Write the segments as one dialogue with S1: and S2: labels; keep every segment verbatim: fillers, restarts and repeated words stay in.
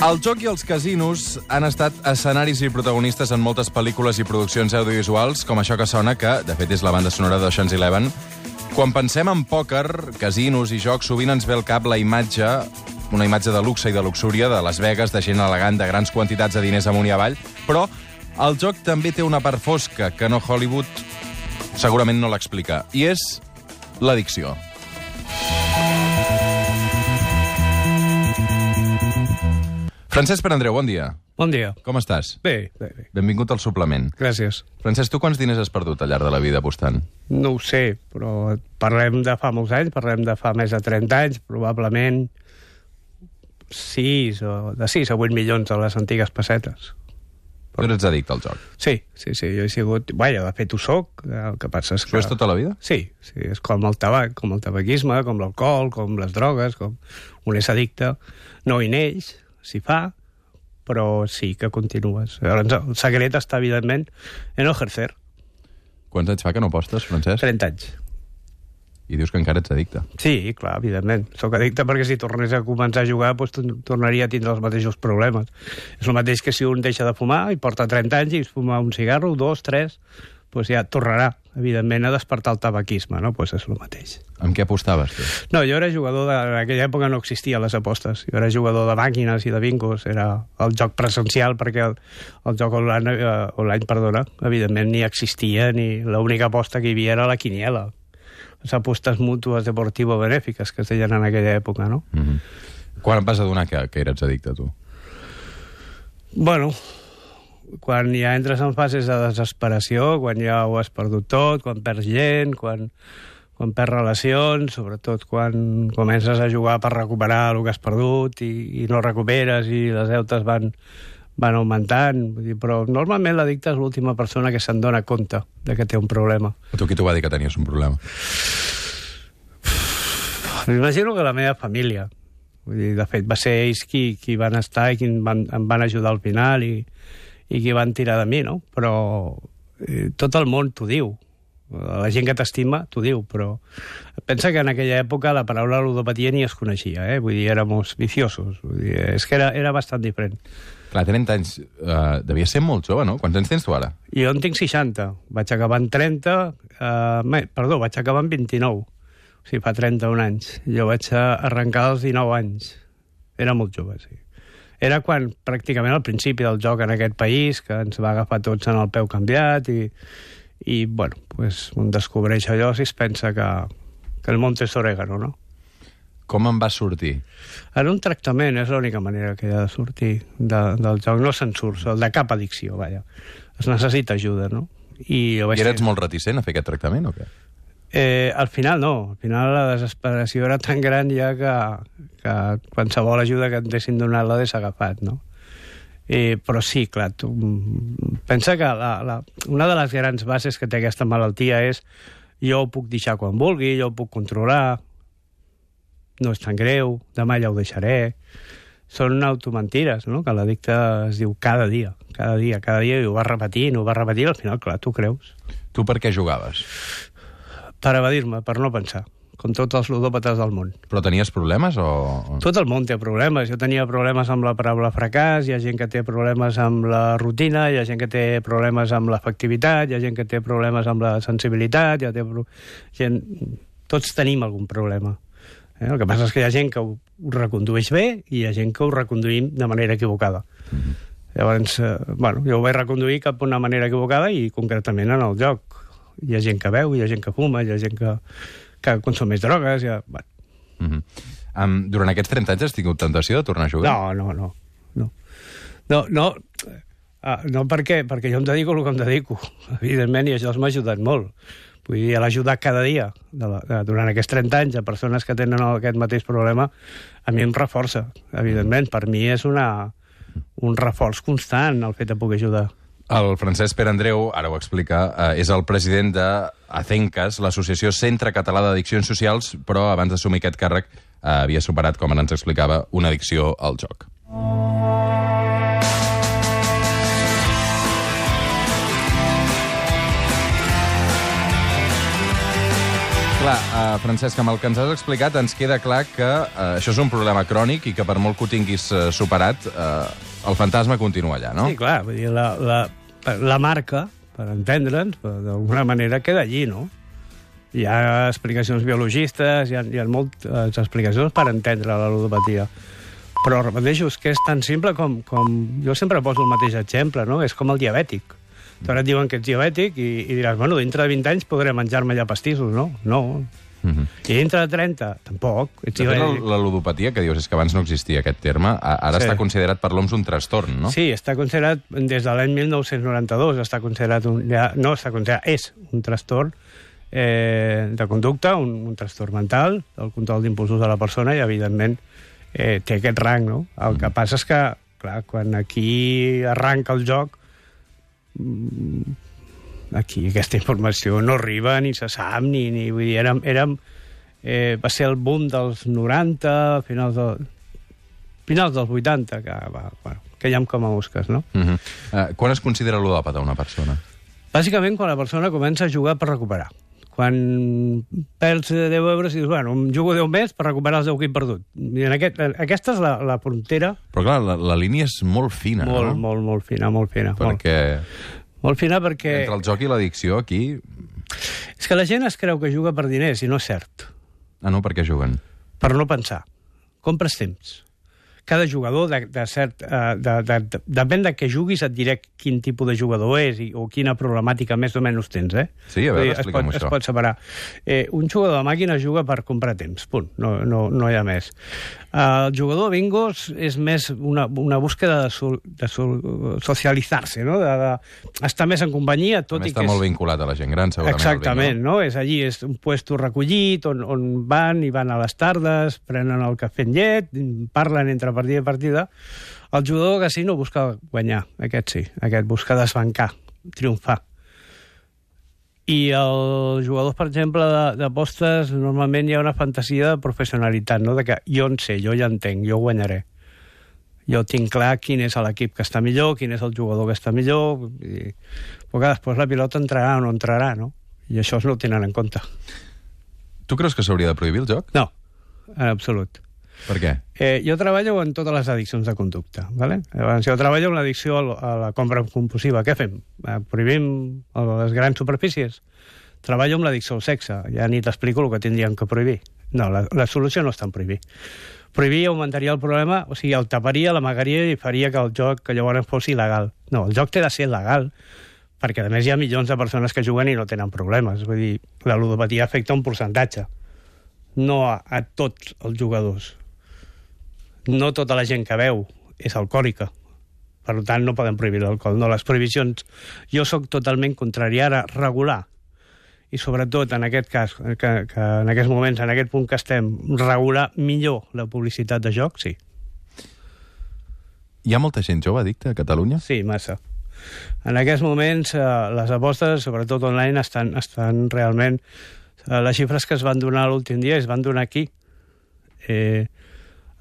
S1: El joc i els casinos han estat escenaris i protagonistes en moltes pel·lícules i produccions audiovisuals, com això que sona, que, de fet, és la banda sonora d'Ocean's Eleven. Quan pensem en pòquer, casinos i jocs, sovint ens ve al cap la imatge, una imatge de luxe i de luxúria, de Las Vegas, de gent elegant, de grans quantitats de diners amunt i avall, però el joc també té una part fosca que no Hollywood segurament no l'explica, i és l'addicció. Francesc Perandreu, bon dia.
S2: Bon dia.
S1: Com estàs?
S2: Bé, bé, bé.
S1: Benvingut al suplement.
S2: Gràcies.
S1: Francesc, tu quants diners has perdut al llarg de la vida apostant?
S2: No ho sé, però parlem de fa molts anys, parlem de fa més de trenta anys, probablement sis o de sis a vuit milions de les antigues pessetes.
S1: Tu eres addicte al joc?
S2: Sí, sí, sí, jo he sigut... Vaja, de fet ho soc, el que passa és que...
S1: Això és tota la vida?
S2: Sí, sí, és com el tabac, com el tabaquisme, com l'alcohol, com les drogues, com un és addicte. No hi neix, s'hi fa, però sí que continues. Llavors, el secret està, evidentment, en no ejercer.
S1: Quants anys fa que no apostes, Francesc?
S2: trenta anys.
S1: I dius que encara ets addicte.
S2: Sí, clar, evidentment. Soc addicte perquè si tornés a començar a jugar doncs, tornaria a tindre els mateixos problemes. És el mateix que si un deixa de fumar i porta trenta anys i es fuma un cigarro, dos, tres, doncs ja tornarà, evidentment, a despertar el tabaquisme, no? Doncs és el mateix.
S1: Amb què apostaves, tu?
S2: No, jo era jugador de... En aquella època no existien les apostes. Jo era jugador de màquines i de bingos. Era el joc presencial perquè el, el joc online, eh, online, perdona, evidentment ni existia, ni l'única aposta que hi havia era la quiniela. Les apostes mútues deportivo-benèfiques que es deien en aquella època, no?
S1: Mm-hmm. Quan et vas adonar que, que eres addicte, tu?
S2: Bueno, quan ja entres en fases de desesperació, quan ja ho has perdut tot, quan perds gent, quan, quan perds relacions, sobretot quan comences a jugar per recuperar el que has perdut i, i no recuperes i les deutes van, van augmentant. Vull dir, però normalment l'addicte és l'última persona que se'n dona compte de que té un problema.
S1: A tu qui t'ho va dir que tenies un problema?
S2: M'imagino que la meva família. Vull dir, de fet, va ser ells qui, qui van estar i qui em van, em van ajudar al final i, i qui van tirar de mi, no? Però eh, tot el món t'ho diu. La gent que t'estima t'ho diu, però pensa que en aquella època la paraula ludopatia ni es coneixia, eh? Vull dir, éramos viciosos. Vull dir, és que era, era bastant diferent.
S1: Clar, trenta anys, uh, devia ser molt jove, no? Quants anys tens tu ara?
S2: Jo en tinc seixanta. Vaig acabar en trenta... Uh, perdó, vaig acabar en vint-i-nou. O sigui, fa trenta-un anys. Jo vaig arrencar als dinou anys. Era molt jove, sí. Era quan, pràcticament al principi del joc en aquest país, que ens va agafar tots en el peu canviat i, i bueno, pues, un descobreix allò si es pensa que, que el monte és orégano, no?
S1: Com en vas sortir?
S2: En un tractament és l'única manera que hi ha de sortir de, del joc. No se'n surt, el de cap addicció, vaja. Es necessita ajuda, no? I, jo vaig
S1: I eres
S2: fer...
S1: molt reticent a fer aquest tractament, o què?
S2: Eh, al final no, al final la desesperació era tan gran ja que, que qualsevol ajuda que et dessin donat l'hagués agafat, no? Eh, però sí, clar, tu, pensa que la, la, una de les grans bases que té aquesta malaltia és jo ho puc deixar quan vulgui, jo ho puc controlar, no és tan greu, demà ja ho deixaré. Són automentides, no? Que l'addicte es diu cada dia, cada dia, cada dia, i ho va repetint, ho va repetint, al final, clar, tu creus.
S1: Tu per què jugaves?
S2: Per evadir-me, per no pensar, com tots els ludòpates del món.
S1: Però tenies problemes o...?
S2: Tot el món té problemes. Jo tenia problemes amb la paraula fracàs, hi ha gent que té problemes amb la rutina, hi ha gent que té problemes amb l'efectivitat, hi ha gent que té problemes amb la sensibilitat, hi ha té... gent... Tots tenim algun problema. Eh? El que passa és que hi ha gent que ho recondueix bé i hi ha gent que ho reconduïm de manera equivocada. Mm-hmm. Llavors, eh, bueno, jo ho vaig reconduir cap d'una manera equivocada i concretament en el joc. Hi ha gent que beu, hi ha gent que fuma, hi ha gent que, que consumeix drogues... Ja... Bueno.
S1: Mm-hmm. um, durant aquests trenta anys has tingut tentació de tornar a jugar?
S2: No, no, no. No, no, no, uh, no perquè, perquè jo em dedico el que em dedico, evidentment, i això m'ha ajudat molt. Vull dir, l'ajudar cada dia, de la, de, durant aquests trenta anys, a persones que tenen aquest mateix problema, a mi em reforça, evidentment. Per mi és una, un reforç constant el fet de poder ajudar.
S1: El Francesc Perandreu, ara ho explica, eh, és el president de ACENCAS, l'Associació Centre Català d'Addiccions Socials, però abans d'assumir aquest càrrec eh, havia superat, com ens explicava, una addicció al joc. Clar, uh, Francesc, amb el que ens has explicat ens queda clar que uh, això és un problema crònic i que per molt que ho tinguis uh, superat, uh, el fantasma continua allà, no?
S2: Sí, clar, vull dir, la, la, la marca, per entendre'ns, d'alguna manera queda allí, no? Hi ha explicacions biologistes, hi ha, hi ha moltes explicacions per entendre la ludopatia. Però, repeteixo, és que és tan simple com, com... Jo sempre poso el mateix exemple, no? És com el diabètic. Ara et diuen que ets diabètic i, i diràs, bueno, dintre de vint anys podré menjar-me ja pastissos, no? No. Uh-huh. I dintre de trenta, tampoc. Ets
S1: de fet, la, la ludopatia, que dius, és que abans no existia aquest terme, ara sí. Està considerat per l'O M S un trastorn, no?
S2: Sí, està considerat, des de l'any mil nou-cents noranta-dos, està considerat un, ja, no, està considerat, és un trastorn eh, de conducta, un, un trastorn mental, el control d'impulsos de la persona, i, evidentment, eh, té aquest rang, no? El que passa és que, clar, quan aquí arranca el joc, aquí aquesta informació no arriba, ni se sap, ni... ni vull dir, érem... érem eh, va ser el boom dels noranta, finals, de, finals dels vuitanta, que, va, bueno, que ja com a mosques, no?
S1: Uh -huh. uh, quan es considera ludòpata una persona?
S2: Bàsicament quan la persona comença a jugar per recuperar. Quan perds deu euros i dius, bueno, jugo deu més per recuperar els deu que he perdut. I en aquest, aquesta és la, la frontera...
S1: Però clar, la, la línia és molt fina,
S2: molt,
S1: no?
S2: Molt, molt fina, molt fina.
S1: Perquè...
S2: Molt, molt fina perquè...
S1: Entre el joc i l'addicció, aquí...
S2: És que la gent es creu que juga per diners, i no és cert.
S1: Ah, no? Per què juguen?
S2: Per no pensar. Compres temps. Cada jugador, de, de cert, uh, de, de, de, depèn de què juguis, et diré quin tipus de jugador és i, o quina problemàtica més o menys tens, eh?
S1: Sí, a veure, explica'm això.
S2: Es pot separar. Eh, un jugador de màquina juga per comprar temps, punt, no, no, no hi ha més. Uh, el jugador de bingos és més una, una búsqueda de, sol, de sol, socialitzar-se, no? De, de estar més en companyia, tot
S1: També
S2: i
S1: està
S2: que
S1: molt
S2: és...
S1: vinculat a la gent gran, segurament.
S2: Exactament, no? És allí, és un puesto recollit, on, on van i van a les tardes, prenen el cafè amb llet, parlen entre partida i partida. El jugador de casino busca guanyar, aquest sí, aquest busca desbancar, triomfar. I els jugadors, per exemple, d'apostes, normalment hi ha una fantasia de professionalitat, no? De que jo en sé, jo ja entenc, jo guanyaré. Jo tinc clar quin és l'equip que està millor, quin és el jugador que està millor, i... però que després la pilota entrarà o no entrarà, no? I això no ho tenen en compte.
S1: Tu creus que s'hauria de prohibir el joc?
S2: No, en absolut.
S1: Per què?
S2: Eh, jo treballo en totes les addiccions de conducta. ¿Vale? Llavors, jo treballo en l'addicció a la compra compulsiva. Què fem? Eh, prohibim les grans superfícies? Treballo amb l'addicció al sexe. Ja ni t'explico el que tindríem que prohibir. No, la, la solució no està en prohibir. Prohibir augmentaria el problema, o sigui, el taparia, l'amagaria i faria que el joc que llavors fos il·legal. No, el joc té de ser legal, perquè a més hi ha milions de persones que juguen i no tenen problemes. Vull dir, la ludopatia afecta un percentatge, no a, a tots els jugadors. No tota la gent que veu és alcohòlica. Per tant, no poden prohibir l'alcohol. No, les prohibicions... Jo sóc totalment contrari a regular. I sobretot, en aquest cas, que, que en aquests moments, en aquest punt que estem, regular millor la publicitat de joc, sí.
S1: Hi ha molta gent jove addicta a Catalunya?
S2: Sí, massa. En aquests moments, eh, les apostes, sobretot online, estan, estan realment... Eh, les xifres que es van donar l'últim dia es van donar aquí. Eh...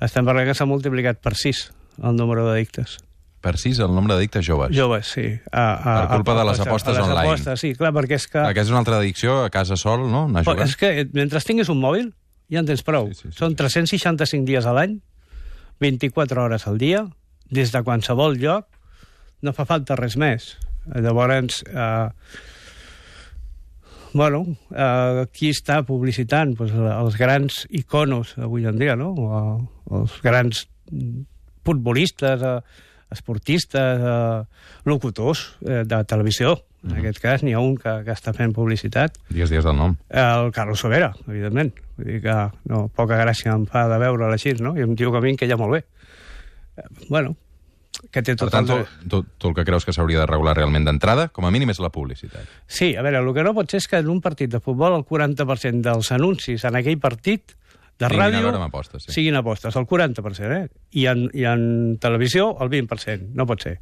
S2: Estem parlant que s'ha multiplicat per sis el número d'addictes.
S1: Per sis el nombre d'addictes joves?
S2: Joves, sí. A, a,
S1: per culpa a, de les apostes
S2: a les
S1: online.
S2: Apostes, sí, clar, perquè és que...
S1: Aquesta és una altra addicció, a casa sol, no? Anar jugant.
S2: És que mentre tinguis un mòbil ja en tens prou. Sí, sí, sí, Són tres-cents seixanta-cinc dies a l'any, vint-i-quatre hores al dia, des de qualsevol lloc, no fa falta res més. Llavors... Eh, Bueno, eh, qui està publicitant? Pues, els grans iconos avui en dia, no? O, els grans futbolistes, eh, esportistes, eh, locutors eh, de televisió. En mm-hmm. aquest cas n'hi ha un que, que està fent publicitat.
S1: Dies, dies del nom.
S2: El Carlos Sobera, evidentment. Vull dir que no, poca gràcia em fa de veure'l així, no? I un tio que a mi que ja molt bé. Eh, bueno... Que té tot
S1: per tant,
S2: el...
S1: tu, tu el que creus que s'hauria de regular realment d'entrada, com a mínim, és la publicitat.
S2: Sí, a veure, el que no pot ser és que en un partit de futbol el quaranta per cent dels anuncis en aquell partit de
S1: Tinguin
S2: ràdio
S1: a veure amb apostes, sí.
S2: siguin apostes, el quaranta per cent, eh? I en, I en televisió el vint per cent, no pot ser.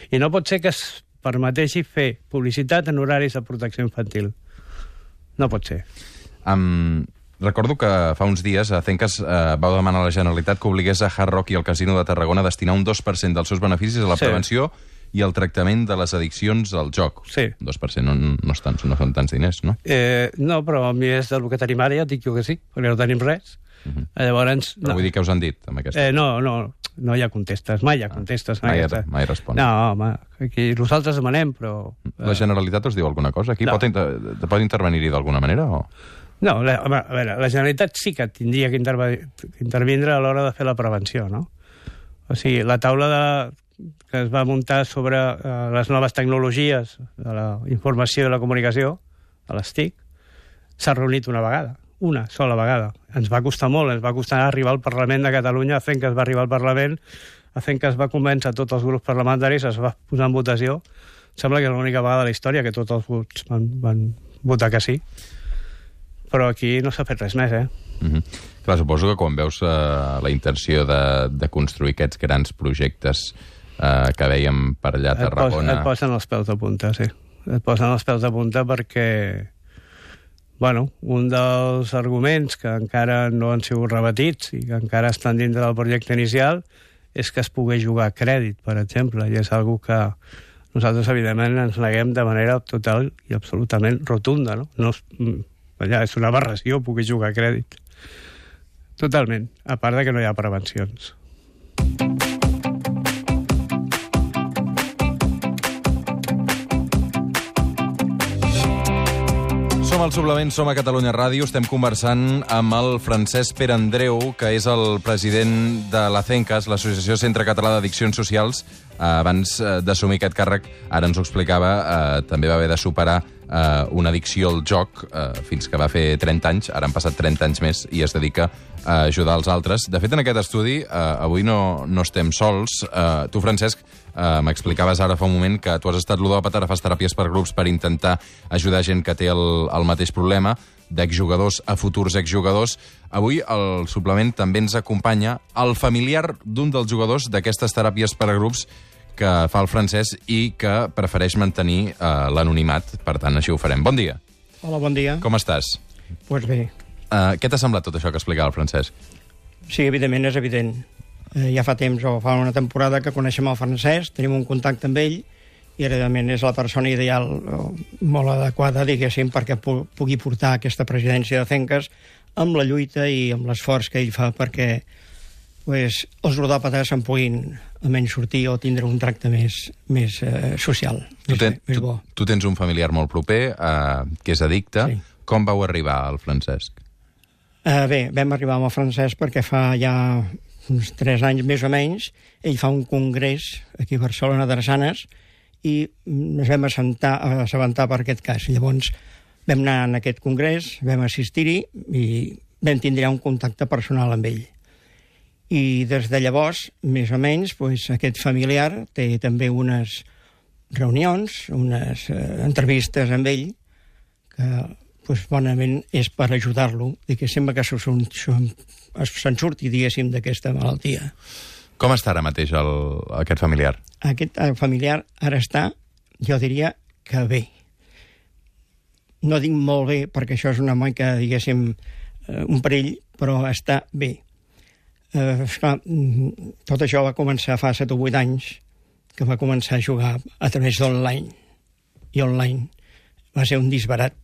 S2: I no pot ser que es permeteixi fer publicitat en horaris de protecció infantil. No pot ser.
S1: Um, recordo que fa uns dies a Cencas eh, vau demanar a la Generalitat que obligués a Hard Rock i el Casino de Tarragona a destinar un dos per cent dels seus beneficis a la
S2: sí.
S1: prevenció i el tractament de les addiccions al joc.
S2: Sí.
S1: Un dos per cent no, no, estan, no són tants diners, no?
S2: Eh, no, però a mi és del que tenim ara, ja et dic jo que sí, perquè no tenim res. Uh -huh. Llavors...
S1: Però
S2: no.
S1: vull dir que us han dit, amb aquesta...
S2: Eh, no, no, no hi ha contestes, mai hi ha contestes.
S1: Mai,
S2: aquesta...
S1: mai respon.
S2: No, home, aquí nosaltres demanem, però...
S1: La Generalitat us diu alguna cosa? Aquí
S2: no.
S1: pot, inter pot intervenir-hi d'alguna manera? O...
S2: No, la, home, a veure, la Generalitat sí que tindria que intervindre a l'hora de fer la prevenció, no? O sigui, la taula de, que es va muntar sobre uh, les noves tecnologies de la informació i la comunicació, de les T I C, s'ha reunit una vegada, una sola vegada. Ens va costar molt, ens va costar arribar al Parlament de Catalunya, fent que es va arribar al Parlament, fent que es va convèncer tots els grups parlamentaris, es va posar en votació. Sembla que és l'única vegada de la història que tots els vots van, van votar que sí. Però aquí no s'ha fet res més, eh?
S1: Mm-hmm. Clar, suposo que quan veus uh, la intenció de, de construir aquests grans projectes uh, que veiem per allà a Tarragona...
S2: Et, pos, et posen els peus de punta, sí. Et posen els peus de punta perquè, bueno, un dels arguments que encara no han sigut repetits i que encara estan dintre del projecte inicial és que es pugui jugar a crèdit, per exemple, i és una que nosaltres, evidentment, ens neguem de manera total i absolutament rotunda, no? No és, allà, és una aberració poder jugar a crèdit. Totalment, a part de que no hi ha prevencions.
S1: Som al Suplement, som a Catalunya Ràdio, estem conversant amb el Francesc Pere Andreu, que és el president de l'ACENCAS, l'Associació Centre Català d'Addiccions Socials. Abans d'assumir aquest càrrec, ara ens ho explicava, eh, també va haver de superar eh, una addicció al joc eh, fins que va fer trenta anys, ara han passat trenta anys més i es dedica a ajudar els altres. De fet, en aquest estudi, eh, avui no, no estem sols. Eh, tu, Francesc, eh, m'explicaves ara fa un moment que tu has estat ludòpata, ara fas teràpies per grups per intentar ajudar gent que té el, el mateix problema, d'exjugadors a futurs exjugadors. Avui al Suplement també ens acompanya el familiar d'un dels jugadors d'aquestes teràpies per a grups que fa el Francesc i que prefereix mantenir eh, l'anonimat. Per tant, així ho farem. Bon dia.
S3: Hola, bon dia.
S1: Com estàs?
S3: Doncs pues bé.
S1: Uh, què t'ha semblat tot això que explicava el Francesc?
S3: Sí, evidentment, és evident. Eh, ja fa temps, o fa una temporada, que coneixem el Francesc, tenim un contacte amb ell, i evidentment és la persona ideal, molt adequada, diguéssim, perquè pugui portar aquesta presidència de CENCAS amb la lluita i amb l'esforç que ell fa perquè pues, els ludòpates se'n puguin almenys sortir o tindre un tracte més, més eh, social,
S1: tu
S3: més,
S1: ten,
S3: més bo.
S1: Tu, tu tens un familiar molt proper, eh, que és addicte.
S3: Sí.
S1: Com vau arribar al Francesc?
S3: Eh, bé, vam arribar amb el Francesc perquè fa ja uns tres anys més o menys, ell fa un congrés aquí a Barcelona, Drassanes, i ens vam assentar, assabentar per aquest cas. Llavors vam anar en aquest congrés, vam assistir-hi i vam tindre un contacte personal amb ell. I des de llavors, més o menys, doncs, aquest familiar té també unes reunions, unes eh, entrevistes amb ell, que doncs, bonament és per ajudar-lo, i que sembla que se'n surti, diguéssim, d'aquesta malaltia.
S1: Com està ara mateix el, aquest familiar?
S3: Aquest familiar ara està, jo diria que bé. No dic molt bé, perquè això és una mica, diguéssim, un perill, però està bé. Eh, esclar, tot això va començar fa set o vuit anys, que va començar a jugar a través d'online. I online va ser un disbarat,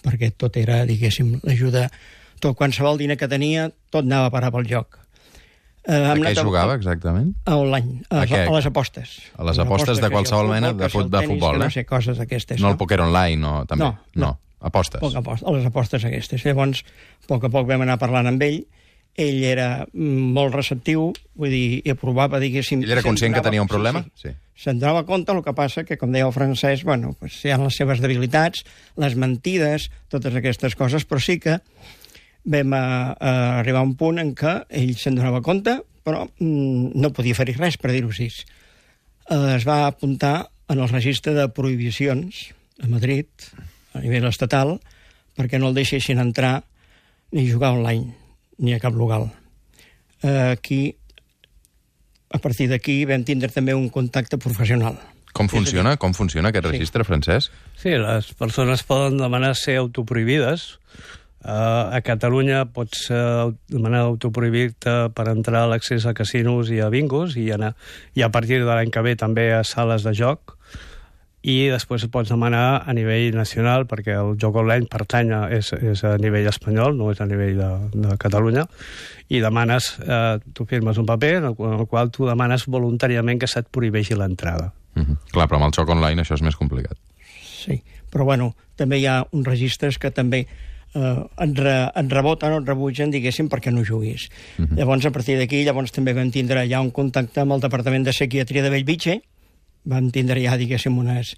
S3: perquè tot era, diguéssim, l'ajuda... Tot, qualsevol diner que tenia, tot anava a parar pel joc.
S1: Eh, a què jugava, exactament?
S3: A online, a, a, a les apostes.
S1: A les apostes de qualsevol mena de, fut, de futbol, eh?
S3: No sé, coses d'aquestes.
S1: No el poker online, no? També.
S3: No, no.
S1: no. Apostes.
S3: Poc a poc, a les apostes aquestes. Llavors, a poc a poc vam anar parlant amb ell. Ell era molt receptiu, vull dir, i aprovava, diguéssim...
S1: Ell era conscient que tenia un problema?
S3: Sí, sí. sí. Se'n donava compte, el que passa que, com deia el Francesc, bueno, pues, hi ha les seves debilitats, les mentides, totes aquestes coses, però sí que vam a, a arribar a un punt en què ell se'n donava compte, però mm, no podia fer-hi res, per dir-ho així. Eh, es va apuntar en el registre de prohibicions a Madrid, a nivell estatal, perquè no el deixessin entrar ni jugar online, ni a cap local. Eh, aquí, a partir d'aquí, vam tindre també un contacte professional.
S1: Com funciona? Com funciona aquest registre,
S3: sí.
S1: Francesc?
S2: Sí, les persones poden demanar ser autoprohibides Uh, a Catalunya pots uh, demanar autoprohibir-te per entrar a l'accés a casinos i a bingos i, anar, i a partir de l'any que ve també a sales de joc, i després pots demanar a nivell nacional, perquè el joc online pertany a, és, és a nivell espanyol, no és a nivell de, de Catalunya, i demanes, eh, tu firmes un paper en el, en el qual tu demanes voluntàriament que se't prohibeixi l'entrada.
S1: Mm-hmm. Clar, però amb el joc online això és més complicat.
S3: Sí, però bueno, també hi ha uns registres que també eh, en, re, en reboten o en rebutgen, diguéssim, perquè no juguis. Mm-hmm. Llavors, a partir d'aquí, llavors també vam tindre ja un contacte amb el Departament de Psiquiatria de Bellvitge, vam tindre ja, diguéssim, unes,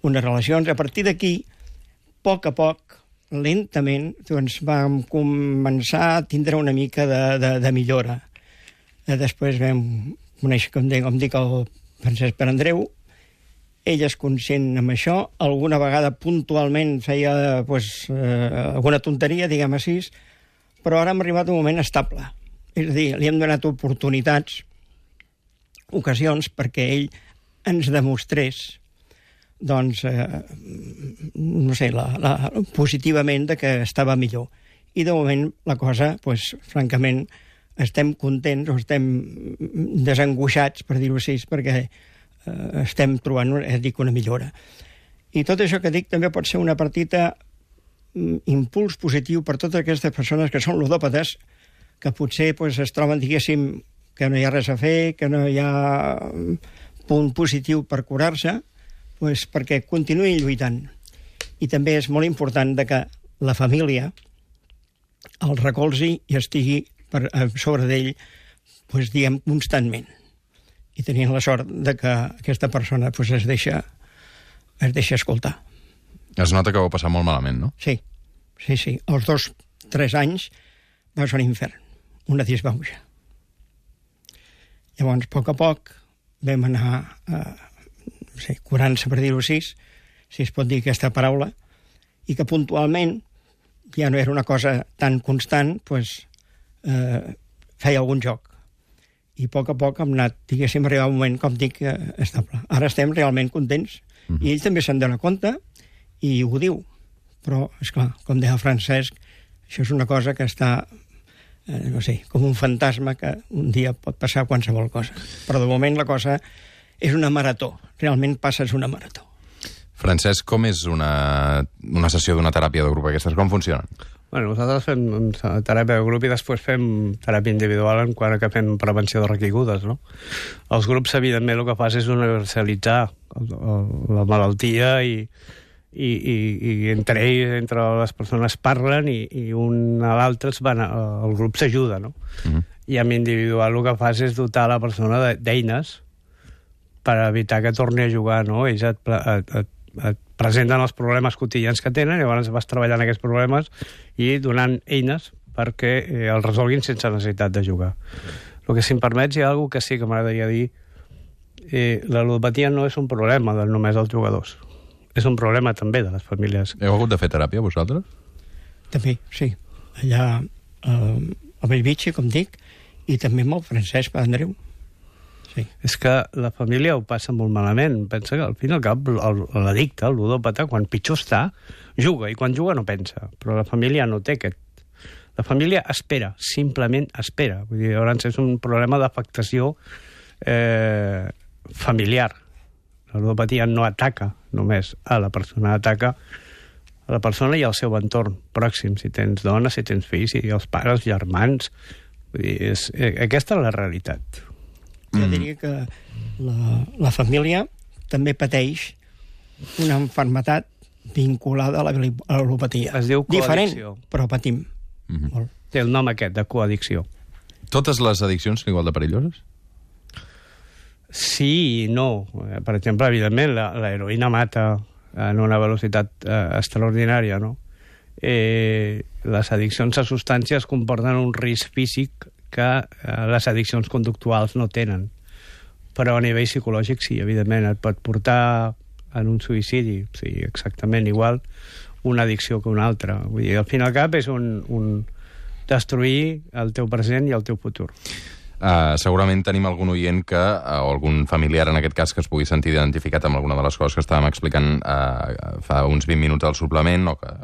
S3: unes relacions. A partir d'aquí, a poc a poc, lentament, doncs vam començar a tindre una mica de, de, de millora. Eh, després vam conèixer, com dic, com dic, el Francesc Pere Andreu. Ell és conscient amb això. Alguna vegada puntualment feia pues, eh, alguna tonteria, diguem així, però ara hem arribat a un moment estable. És a dir, li hem donat oportunitats, ocasions, perquè ell ens demostrés doncs, eh, no sé, la, la, positivament de que estava millor. I de moment la cosa, pues, francament, estem contents o estem desangoixats, per dir-ho així, perquè eh, estem trobant, eh, dic, una millora. I tot això que dic també pot ser una partita impuls positiu per totes aquestes persones que són ludòpates, que potser pues, es troben, diguéssim, que no hi ha res a fer, que no hi ha punt positiu per curar-se, pues, perquè continuï lluitant. I també és molt important de que la família el recolzi i estigui per, sobre d'ell, pues, diguem, constantment. I tenien la sort de que aquesta persona pues, es deixa es deixa escoltar.
S1: Es nota que ho va passar molt malament, no?
S3: Sí, sí, sí. Els dos, tres anys va ser un infern, una disbauxa. Llavors, a poc a poc, vam anar eh, no sé, curant-se, per dir-ho així, si es pot dir aquesta paraula, i que puntualment ja no era una cosa tan constant, pues, eh, feia algun joc. I a poc a poc hem anat, diguéssim, arribar a un moment, com dic, eh, estable. Ara estem realment contents, mm-hmm. i ell també se'n dona compte, i ho diu. Però, esclar, com deia el Francesc, això és una cosa que està, eh, no sé, com un fantasma que un dia pot passar qualsevol cosa. Però de moment la cosa és una marató. Realment passes una marató.
S1: Francesc, com és una, una sessió d'una teràpia de grup aquestes? Com funcionen?
S2: Bueno, nosaltres fem teràpia de grup i després fem teràpia individual en quant que fem prevenció de recaigudes, no? Els grups, evidentment, el que fas és universalitzar el, el, la malaltia i, i, i, i entre ells, entre les persones parlen i, i un a l'altre el grup s'ajuda, no? Uh-huh. I amb individual el que fas és dotar la persona d'eines per evitar que torni a jugar, no? Ells et, et, et, et presenten els problemes quotidians que tenen i llavors vas treballant aquests problemes i donant eines perquè eh, els resolguin sense necessitat de jugar. El que, si em permets, hi ha alguna que sí que m'agradaria dir. Eh, la ludopatia no és un problema de només dels jugadors. És un problema també de les famílies.
S1: Heu hagut de fer teràpia, vosaltres?
S3: També, sí. Allà eh, a Bellvitge, com dic, i també amb el Francesc Pere Andreu. Sí.
S2: És que la família ho passa molt malament. Pensa que al fin i al cap l'addicte, el ludòpata, quan pitjor està, juga, i quan juga no pensa. Però la família no té aquest. La família espera, simplement espera. Vull dir, llavors és un problema d'afectació eh, familiar. La ludopatia no ataca només a la persona, ataca a la persona i al seu entorn pròxim, si tens dona, si tens fills, si els pares, germans. Vull dir, és, eh, aquesta és la realitat.
S3: Jo diria que la, la família també pateix una malaltia vinculada a la, a la ludopatia.
S2: Es diu
S3: diferent,
S2: coaddicció.
S3: Però patim.
S1: Mm-hmm.
S3: Molt.
S2: Té el nom aquest, de coaddicció.
S1: Totes les addiccions són igual de perilloses?
S2: Sí i no. Per exemple, evidentment, la, la heroïna mata en una velocitat eh, extraordinària, no? Eh, les addiccions a substàncies comporten un risc físic que eh, les addiccions conductuals no tenen. Però a nivell psicològic sí, evidentment, et pot portar en un suïcidi, sí, exactament igual una addicció que una altra. Vull dir, al fin i al cap és un, un destruir el teu present i el teu futur.
S1: Uh, segurament tenim algun oient que, uh, o algun familiar en aquest cas, que es pugui sentir identificat amb alguna de les coses que estàvem explicant uh, fa uns vint minuts al suplement, o que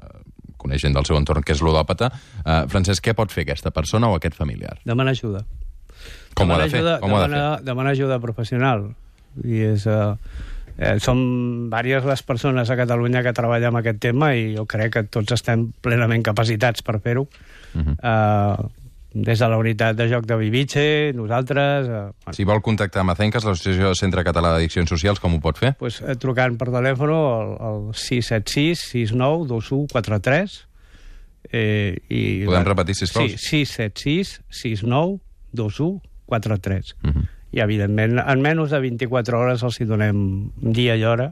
S1: coneix gent del seu entorn que és ludòpata. Uh, Francesc, què pot fer aquesta persona o aquest familiar?
S2: Demanar ajuda.
S1: Com ho ha
S2: demanar
S1: de fer?
S2: Ajuda,
S1: Com ho ha de
S2: demanar,
S1: fer?
S2: demanar ajuda professional. I és... Uh, eh, som diverses les persones a Catalunya que treballen amb aquest tema i jo crec que tots estem plenament capacitats per fer-ho. Uh-huh. uh, des de la unitat de joc de Viviche, nosaltres... Uh, bueno.
S1: Si vol contactar amb Acenques, l'Associació Centre Català d'Addiccions Socials, com ho pot fer?
S2: Pues, eh, trucant per telèfon al, al sis set sis, sis nou, dos u quatre tres. Eh, i,
S1: Podem repetir, sisplau?
S2: Sí, sis set sis, sis nou, dos u quatre tres.
S1: Uh-huh.
S2: I, evidentment, en menys de vint-i-quatre hores els hi donem dia i hora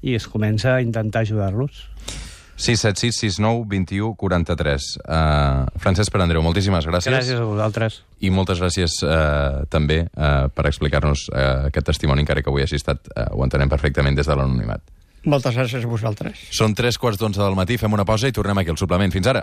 S2: i es comença a intentar ajudar-los.
S1: sis set sis, sis nou, dos u quatre tres. Uh, Francesc Perandreu, moltíssimes gràcies.
S2: Gràcies a vosaltres.
S1: I moltes gràcies uh, també uh, per explicar-nos uh, aquest testimoni, encara que avui hagi estat, uh, ho entenem perfectament des de l'anonimat.
S3: Moltes gràcies a vosaltres.
S1: Són tres quarts d'onze del matí, fem una pausa i tornem aquí al suplement. Fins ara.